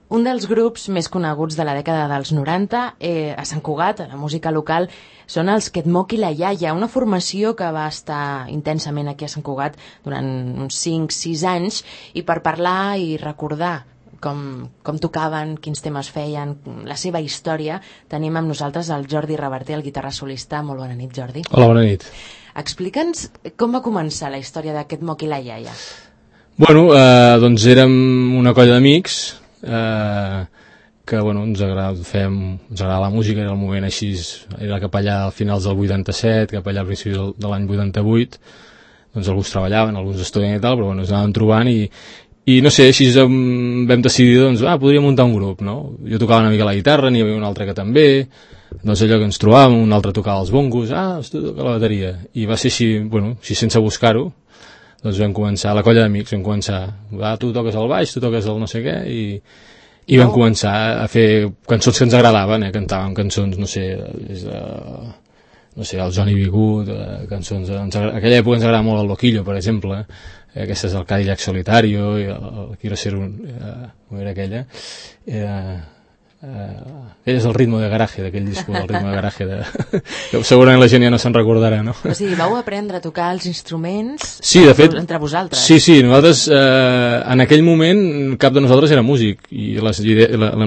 Un dels grups més coneguts de la dècada dels 90 a Sant Cugat, a la música local, són els Ketmok i la Iaia, una formació que va estar intensament aquí a Sant Cugat durant uns 5-6 anys, i per parlar i recordar com tocaven, quins temes feien, la seva història, tenim amb nosaltres el Jordi Reverter, el guitarra solista. Molt bona nit, Jordi. Hola, bona nit. Explica'ns com va començar la història de Ketmok i la Iaia. Bueno, doncs érem una colla d'amics que bueno, ens agradava la música, era el moment així, era cap allà a finals del 87, cap allà a principis de l'any 88, doncs alguns treballaven, alguns estudien i tal, però bueno, ens anàvem trobant i no sé, així vam decidir, doncs, podríem muntar un grup, no? Jo tocava una mica la guitarra, n'hi havia un altre que també, doncs allò que ens trobàvem, un altre tocava els bongos, tu toca la bateria, i va ser així, bueno, així sense buscar-ho, doncs vam començar, la colla d'amics vam començar, tu toques el baix, tu toques el no sé què, i vam començar a fer cançons que ens agradaven, cantàvem cançons, no sé, el Johnny B. Good, cançons, en aquella època ens agradava molt el Loquillo, per exemple, aquesta és el Cadillac Solitario, i el Quiero ser com era aquella, ell és el ritmo de garaje, d'aquell disco, el ritmo de garaje, que segurament la gent ja no se'n recordarà, no? O sigui, vau aprendre a tocar els instruments de fet, entre vosaltres? Sí, nosaltres, en aquell moment, cap de nosaltres era músic, i la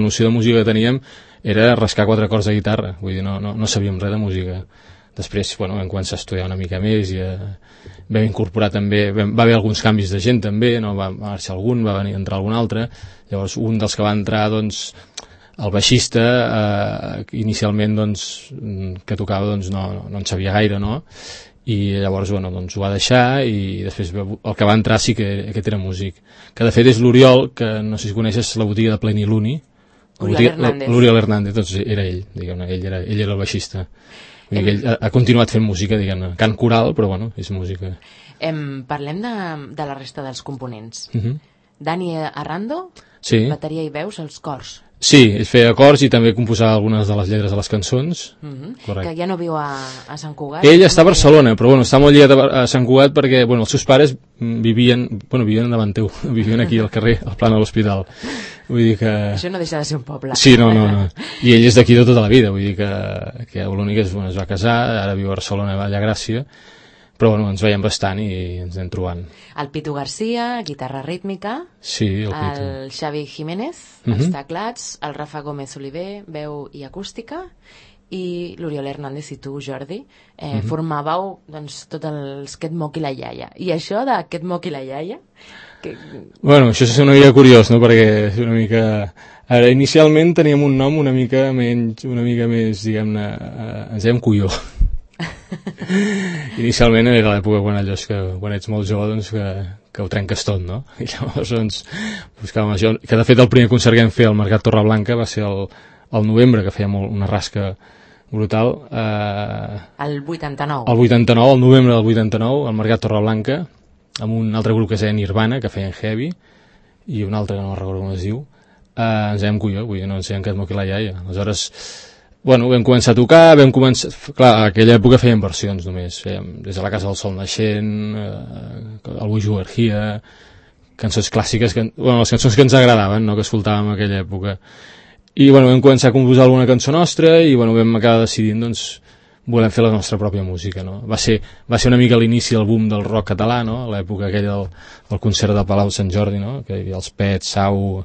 noció de música que teníem era rascar 4 acords de guitarra, vull dir, no sabíem res de música. Després, bueno, vam començar a estudiar una mica més i vam incorporar també, va haver alguns canvis de gent també, no? Va marxar algun, va venir a entrar algun altre, llavors un dels que va entrar, doncs, el baixista, inicialment, doncs, que tocava, doncs, no en sabia gaire, no? I llavors, bueno, doncs ho va deixar, i després el que va entrar sí que aquest era músic, que de fet és l'Oriol, que no sé si coneixes la botiga de Pleniluni, l'Oriol Hernández, doncs era ell, diguem-ne, ell era el baixista. Ell ha continuat fent música, diguem-ne, cant coral, però bueno, és música. Parlem de la resta dels components. Dani Arrando, sí. Bateria i veus, els cors. Sí, ell feia acords i també composava algunes de les lletres de les cançons. Que ja no viu a Sant Cugat. Ell està a Barcelona, però bueno, està molt lligat a Sant Cugat perquè bueno, els seus pares vivien davant teu, vivien aquí al carrer, al Plana de l'Hospital. Vull dir que... Això no deixa de ser un poble. Sí, no. I ell és d'aquí de tota la vida, vull dir que l'únic és, es va casar, ara viu a Barcelona, a Gràcia, però bueno, ens veiem bastant i ens anem trobant. El Pitu Garcia, guitarra rítmica. Sí, el Pitu. El Xavi Jiménez, els teclats. El Rafa Gómez Oliver, veu i acústica. I l'Oriol Hernández i tu, Jordi, formàveu doncs, tots els Ketmok i la Iaia. I això de Ketmok i la Iaia? Bueno, això és una mica curiós, no? Perquè és una mica... Ara, inicialment teníem un nom una mica més, diguem-ne, ens dèiem Cuyó. Inicialment era l'època quan ets molt jove, doncs, que ho trenques tot, no? I llavors doncs, buscàvem això, que de fet el primer concert que vam fer al Mercat Torreblanca va ser el novembre, que feia una rasca brutal. El 89. El novembre del 89, al Mercat Torreblanca, amb un altre grup que es deia Nirvana, que feien heavy, i un altre que no recordo com es diu. Ens dèiem Cuyó, vull dir, no ens dèiem Ketmok i la Iaia. Aleshores, bueno, vam començar a tocar, clar, a aquella època fèiem versions només, fèiem des de la Casa del Sol Naixent, el Wish You Were Here, cançons clàssiques, les cançons que ens agradaven, no?, que escoltàvem a aquella època. I bueno, vam començar a composar alguna cançó nostra i bueno, vam acabar decidint, doncs, volem fer la nostra pròpia música, no? Va ser una mica l'inici del boom del rock català, no?, a l'època aquella del concert de Palau Sant Jordi, no?, que hi havia els Pets, Sau,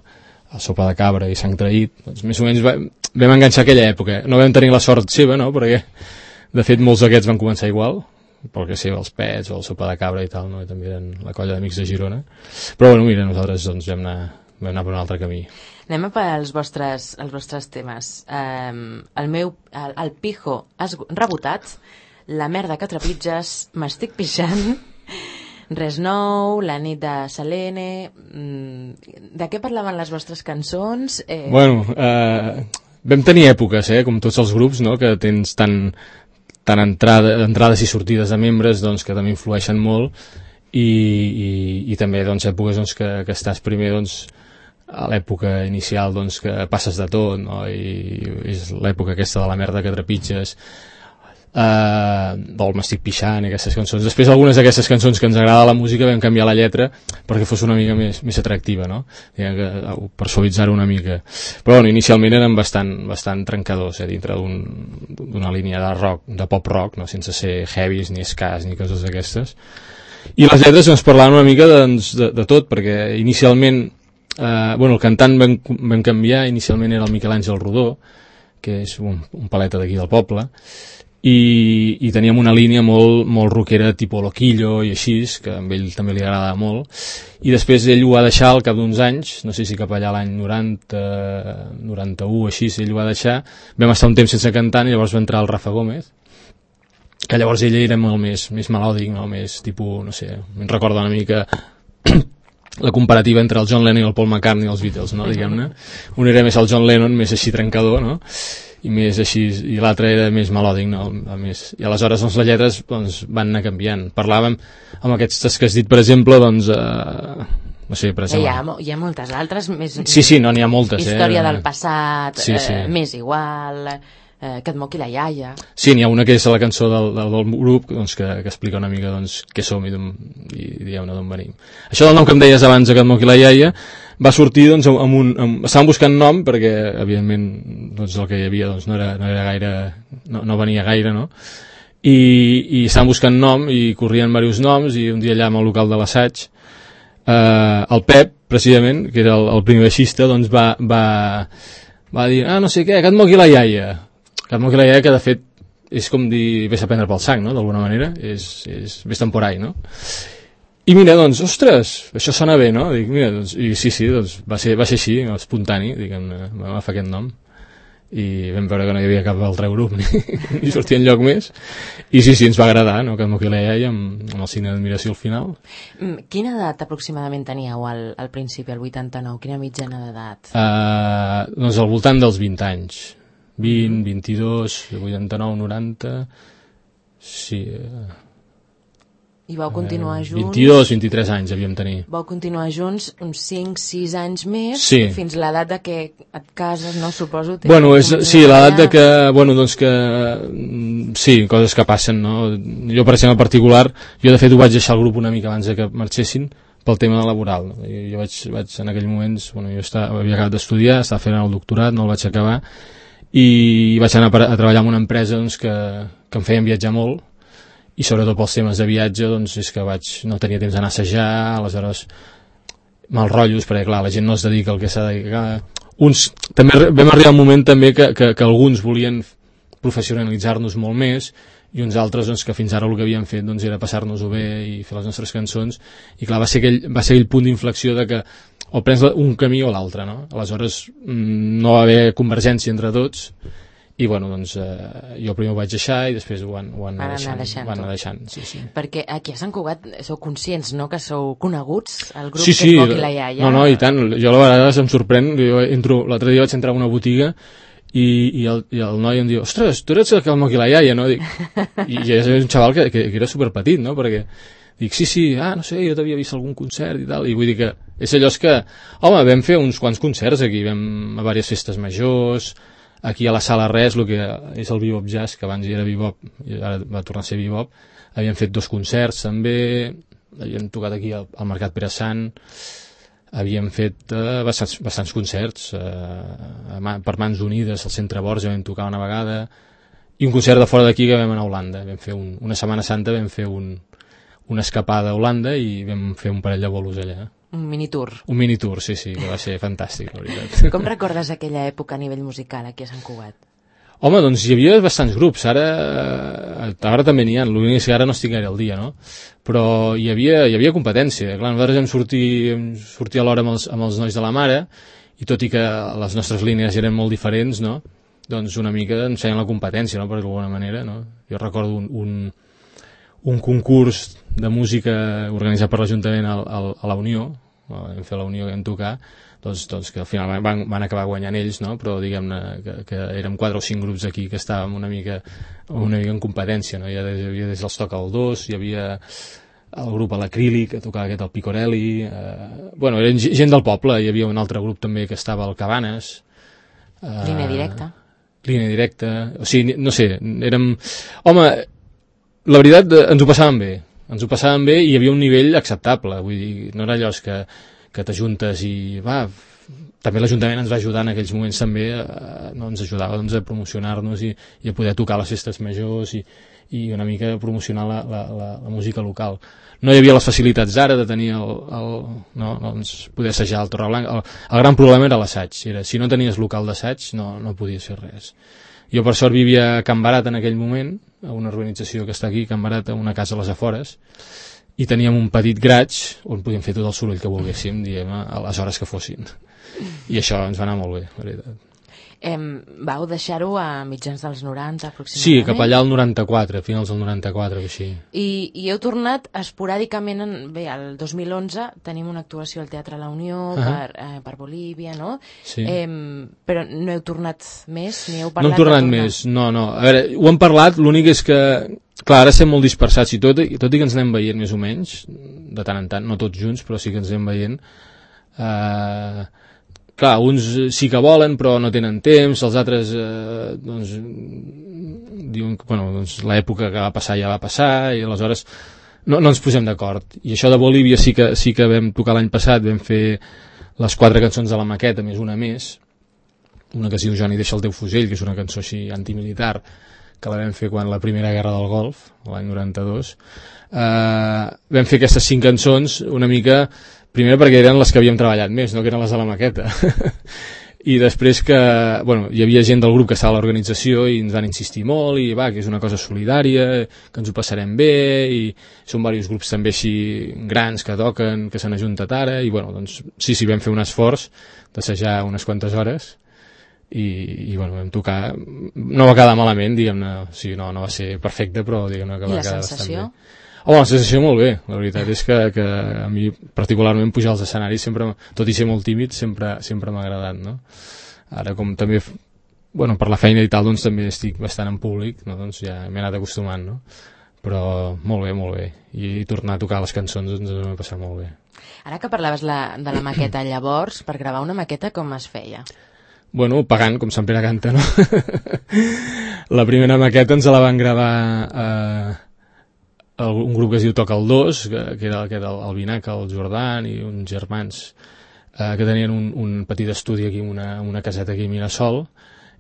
el Sopa de Cabra i Sang Traït, doncs més o menys vam enganxar aquella època. No vam tenir la sort seva, no?, perquè de fet molts d'aquests van començar igual, pel que sé, els Pets o el Sopa de Cabra i tal, no?, i també eren la colla d'amics de Girona. Però bueno, mira, nosaltres doncs vam anar per un altre camí. Anem a per als vostres temes. El Pijo has rebotat, La merda que trepitges, M'estic pixant, Res nou, La nit de Selene... De què parlaven les vostres cançons? Bueno, vam tenir èpoques, com tots els grups, no?, que tens tant entrades i sortides de membres, doncs, que també influeixen molt, i també doncs, èpoques doncs, que estàs primer doncs, a l'època inicial doncs, que passes de tot, no?, i és l'època aquesta de La merda que trepitges. o el M'estic pixant i aquestes cançons. Després algunes d'aquestes cançons que ens agrada la música vam canviar la lletra perquè fos una mica més atractiva, no? Per suavitzar-ho una mica. Però bueno, inicialment eren bastant trencadors, dintre d'una línia de rock, de pop rock, no? Sense ser heavies ni skas ni coses d'aquestes. I les lletres ens parlaven una mica de tot, perquè inicialment el cantant vam canviar. Inicialment era el Miquel Àngel Rodó, que és un paleta d'aquí del poble, i teníem una línia molt rockera tipus Loquillo i així, que a ell també li agradava molt, i després ell ho va deixar al cap d'uns anys, no sé si cap allà l'any 90, 91, així, ell ho va deixar. Vam estar un temps sense cantant i llavors va entrar el Rafa Gómez, que llavors ell era molt més melòdic, no? Més tipus, no sé, em recorda una mica la comparativa entre el John Lennon i el Paul McCartney i els Beatles, no? Diguem-ne. Un era més el John Lennon, més així trencador, no? I més així, i l'altre era més melòdic, no? I aleshores les lletres van anar canviant. Parlàvem amb aquestes que has dit, per exemple, no sé, per exemple... Hi ha moltes altres més... Sí, no, n'hi ha moltes. Història del passat, sí. Més igual, que et moqui la iaia... Sí, n'hi ha una que és la cançó del grup, doncs, que explica una mica què som i diguem-ne d'on venim. Això del nom que em deies abans, que et moqui la iaia, va sortir doncs, estàvem buscant nom perquè evidentment doncs, el que hi havia doncs, no era gaire, no venia gaire, no? I estàvem buscant nom i corrien diversos noms, i un dia allà al local de l'assaig el Pep, precisament, que era el primer baixista, doncs va dir, no sé què, que et moqui la iaia, que de fet és com dir vés a prendre pel sang, no? D'alguna manera és vés temporai, no? I mira, doncs, ostres, això sona bé, no? Dic, mira, doncs, i sí, doncs, va ser així, espontani, diguem-ne, vam agafar aquest nom, i vam veure que no hi havia cap altre grup, ni sortia enlloc més, i sí, ens va agradar, no?, que m'ho iaia amb el signe d'admiració al final. Quina edat aproximadament teníeu al principi, al 89? Quina mitjana d'edat? Doncs al voltant dels 20 anys. 20, 22, 89, 90... Sí... I vau continuar junts... 22, 23 anys havíem tenir. Vau continuar junts uns 5-6 anys més, sí. Fins l'edat de que et cases, no? Suposo... Bueno, sí, l'edat de que... Bueno, doncs que... Sí, coses que passen, no? Jo, per exemple, en particular, jo de fet ho vaig deixar el grup una mica abans que marxessin pel tema laboral, no? Jo vaig en aquell moments... Bueno, jo havia acabat d'estudiar, estava fent el doctorat, no el vaig acabar, i vaig anar a treballar en una empresa doncs, que em feien viatjar molt, i sobretot pels temes de viatge doncs és que no tenia temps d'anar a assajar, aleshores mal rotllos, perquè clar, la gent no es dedica al que s'ha de dedicar. També vam arribar a un moment també que alguns volien professionalitzar-nos molt més, i uns altres doncs, que fins ara el que havien fet doncs, era passar-nos-ho bé i fer les nostres cançons, i clar, va ser aquell punt d'inflexió de que o prens un camí o l'altre, no? Aleshores no va haver convergència entre tots, i bueno, doncs jo primer ho vaig deixar i després ho van anar deixant. Sí. Perquè aquí a Sant Cugat sou conscients, no?, que sou coneguts, el grup sí, que es moqui la iaia. No, i tant, jo a vegades em sorprèn, l'altre dia vaig entrar a una botiga i el noi em diu, ostres, tu eres el que el moqui la iaia, no? I és un xaval que era superpetit, no? Perquè dic, sí, no sé, jo t'havia vist algun concert i tal, i vull dir que és allò que, home, vam fer uns quants concerts aquí, vam a diverses festes majors, aquí a la Sala Res, el que és el Bebop Jazz, que abans hi era Bebop i ara va tornar a ser Bebop, havíem fet 2 concerts també, havíem tocat aquí al Mercat Pere Sant, havíem fet bastants concerts per Mans Unides al Centre Borja vam tocar una vegada, i un concert de fora d'aquí que vam anar a Holanda, vam fer una Setmana Santa, vam fer una escapada a Holanda i vam fer un parell de bolos allà. Un minitour. Un minitour, sí, que va ser fantàstic, la veritat. Com recordes aquella època a nivell musical aquí a Sant Cugat? Home, doncs hi havia bastants grups, ara també n'hi ha, l'únic que ara no estic gaire al dia, no? Però hi havia competència, clar, nosaltres vam sortir alhora amb els nois de la mare, i tot i que les nostres línies eren molt diferents, no? Doncs una mica ens feien la competència, no?, per d'alguna manera, no? Jo recordo un concurs de música organitzat per l'Ajuntament a la Unió, vam fer la Unió que vam tocar, doncs que al final van acabar guanyant ells, no? Però diguem-ne que érem 4 o 5 grups aquí que estàvem una mica en competència, no? Hi havia des dels Toca el 2, hi havia el grup a l'Acrílic, que tocava aquest el Picorelli, bueno, eren gent del poble, hi havia un altre grup també que estava al Cabanes. Línia directa. línia directa, o sigui, no sé, érem... Home, la veritat, ens ho passàvem bé i hi havia un nivell acceptable, vull dir, no era allò que t'ajuntes i va, també l'Ajuntament ens va ajudar en aquells moments també, ens ajudava doncs, a promocionar-nos i a poder tocar les festes majors i una mica promocionar la música local. No hi havia les facilitats d'ara de tenir doncs, poder assajar al Torreblanca. El gran problema era l'assaig, si no tenies local d'assaig no podies fer res. Jo per sort vivia a Can Barat en aquell moment, a una urbanització que està aquí, Can Barat, a una casa a les afores, i teníem un petit graig on podíem fer tot el soroll que volguéssim, diguem, a les hores que fossin. I això ens va anar molt bé, la veritat. Vau deixar-ho a mitjans dels 90 aproximadament? Sí, cap allà al 94, finals del 94 o així. I heu tornat esporàdicament, bé, el 2011 tenim una actuació al Teatre La Unió per Bolívia, no? Sí. Però no heu tornat més? Ni heu parlat no hem tornat més, no. A veure, ho hem parlat, l'únic és que, clar, ara estem molt dispersats i tot i que ens anem veient més o menys, de tant en tant, no tots junts, però sí que ens anem veient. Clar, uns sí que volen però no tenen temps, els altres doncs, diuen que doncs, l'època que va passar ja va passar i aleshores no ens posem d'acord. I això de Bolívia sí que vam tocar l'any passat, vam fer les 4 cançons de la maqueta més una més, una que es diu Johnny deixa el teu fusell, que és una cançó així antimilitar, que la vam fer quan la primera guerra del Golf, l'any 92. Vam fer aquestes 5 cançons una mica, primer perquè eren les que havíem treballat més, no que eren les de la maqueta. I després que, hi havia gent del grup que estava a l'organització i ens van insistir molt i que és una cosa solidària, que ens ho passarem bé, i són diversos grups també així grans que toquen, que s'han ajuntat ara, i doncs sí, vam fer un esforç d'assajar unes quantes hores i vam tocar, no va quedar malament, diguem-ne, o sigui, no va ser perfecte, però diguem-ne que va quedar bastant bé. La sensació molt bé, la veritat és que a mi particularment pujar als escenaris sempre, tot i ser molt tímid, sempre m'ha agradat, no? Ara com també, per la feina i tal, doncs també estic bastant en públic, no? Doncs ja m'he anat acostumant, no? Però molt bé, i tornar a tocar les cançons doncs m'ha passat molt bé. Ara que parlaves de la maqueta, llavors, per gravar una maqueta com es feia? Pagant, com Sant Pere canta, no? La primera maqueta ens la van gravar un grup que es diu Toca el 2, que era el Vinaca, el Jordan i uns germans que tenien un petit estudi aquí, una caseta aquí a Mirasol,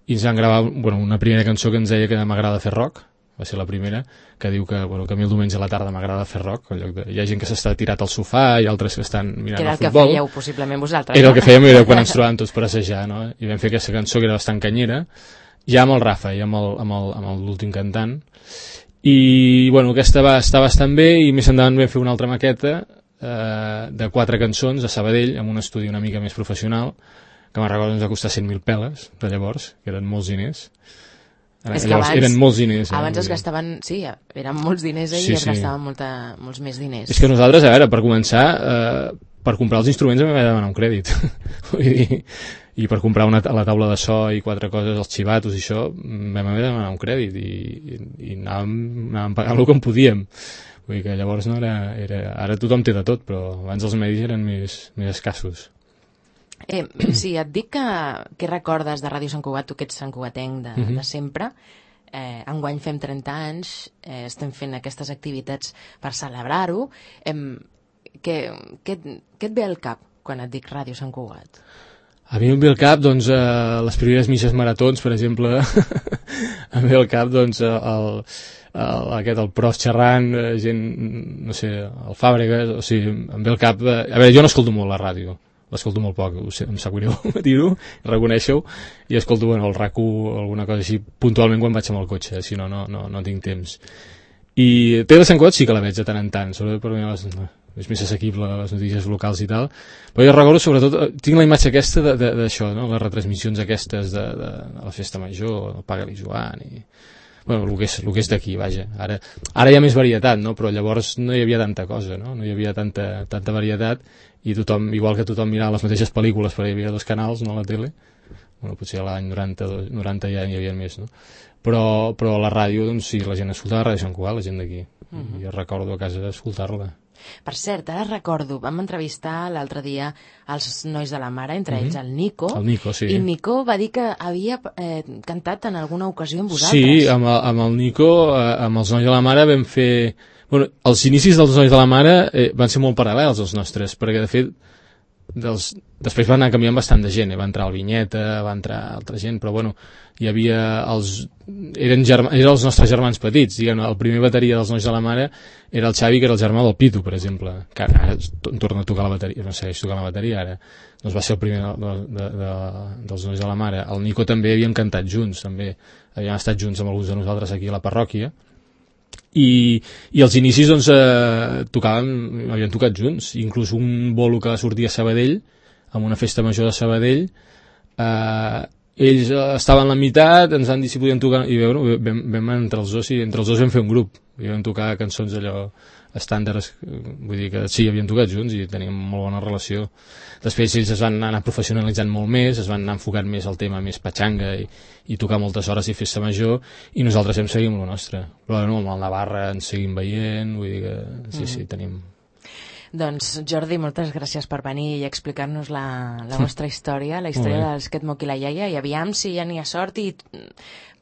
i ens van gravar una primera cançó que ens deia que m'agrada fer rock, va ser la primera, que diu que a mi el diumenge a la tarda m'agrada fer rock, hi ha gent que s'està tirat al sofà i altres que estan mirant el futbol. Que era el que fèieu possiblement vosaltres. Era el que fèiem, era quan ens trobàvem tots per assajar, no? I vam fer aquesta cançó que era bastant canyera, ja amb el Rafa, ja amb l'últim cantant, i aquesta va estar bastant bé, i més endavant vam fer una altra maqueta de 4 cançons a Sabadell, amb un estudi una mica més professional, que me'n recordo ens va costar 100.000 peles de llavors, que eren molts diners. Llavors eren molts diners. Abans es gastaven, sí, eren molts diners i es gastaven molts més diners. És que nosaltres, a veure, per començar, per comprar els instruments vam haver de demanar un crèdit. Vull dir, i per comprar la taula de so i 4 coses, els xivatos i això, vam haver de demanar un crèdit i anàvem pagant el que en podíem. Vull dir que llavors no era... Ara tothom té de tot, però abans els medis eren més escassos. Sí, et dic que recordes de Ràdio Sant Cugat, tu que ets santcugatenc de sempre. Enguany fem 30 anys, estem fent aquestes activitats per celebrar-ho. Què et ve al cap quan et dic Ràdio Sant Cugat? A mi em ve al cap, doncs, les primeres misses maratons, per exemple. Em ve al cap, doncs, el Prost xerrant, gent, no sé, el Fàbregas, o sigui, em ve al cap... A veure, jo no escolto molt la ràdio, l'escolto molt poc, em sap greu dir-ho, reconeixo-ho, i escolto el RAC1 o alguna cosa així puntualment quan vaig amb el cotxe, si no tinc temps. I Tele de Sant Cugat sí que la veig de tant en tant, sobretot per mi és més assequible les notícies locals i tal, però jo recordo sobretot, tinc la imatge aquesta d'això, no? Les retransmissions aquestes de la festa major, el Paga-li Joan i... el que és d'aquí, vaja. Ara hi ha més varietat, no? Però llavors no hi havia tanta cosa, no? No hi havia tanta varietat i tothom, igual que tothom mirava les mateixes pel·lícules, perquè hi havia 2 canals, no, a la tele. Potser a l'any 90 ja n'hi havia més, no? Però la ràdio, doncs sí, la gent escoltava Ràdio Sant Cugat, la gent d'aquí. I jo recordo a casa d'escoltar-la. Per cert, ara recordo, vam entrevistar l'altre dia els nois de la Mare, entre ells el Nico. El Nico, sí. I Nico va dir que havia cantat en alguna ocasió amb vosaltres. Sí, amb el Nico, amb els nois de la Mare vam fer... Bueno, els inicis dels nois de la Mare van ser molt paral·lels als nostres, perquè de fet després va anar canviant bastant de gent, va entrar el Vinyeta, va entrar altra gent, però bueno, hi havia eren els nostres germans petits, diguem, el primer bateria dels nois de la Mare era el Xavi, que era el germà del Pitu, per exemple, que ara torna a tocar la bateria, no segueix tocant la bateria ara, doncs va ser el primer dels nois de la Mare. El Nico també havíem cantat junts, també havíem estat junts amb alguns de nosaltres aquí a la parròquia, i als inicis doncs havíem tocat junts, inclús un bolo que va sortir a Sabadell, amb una festa major de Sabadell, ells estaven a la meitat, ens van dir si podien tocar, i bueno, vam entre els dos vam fer un grup, i vam tocar cançons allò estàndards, vull dir que sí, havíem tocat junts i teníem molt bona relació. Després ells es van anar professionalitzant molt més, es van anar enfocant més al tema més patxanga i tocar moltes hores i festa major, i nosaltres hem seguit amb el nostre. Però bueno, amb el Navarra ens seguim veient, vull dir que sí, tenim... Doncs Jordi, moltes gràcies per venir i explicar-nos la vostra història, la història dels Ket Moki la Iaia, i aviam si ja n'hi ha sort i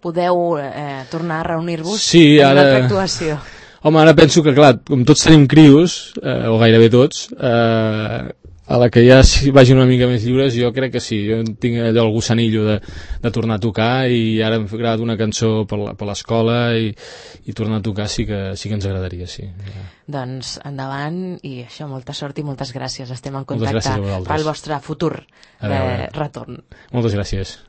podeu tornar a reunir-vos en una altra actuació. Home, ara penso que, clar, com tots tenim crios, o gairebé tots, a la que ja vagin una mica més lliures, jo crec que sí, jo tinc allò el gossanillo de tornar a tocar, i ara hem gravat una cançó per l'escola i tornar a tocar sí que ens agradaria, sí. Doncs endavant, i això, molta sort i moltes gràcies, estem en contacte pel vostre futur retorn. Moltes gràcies.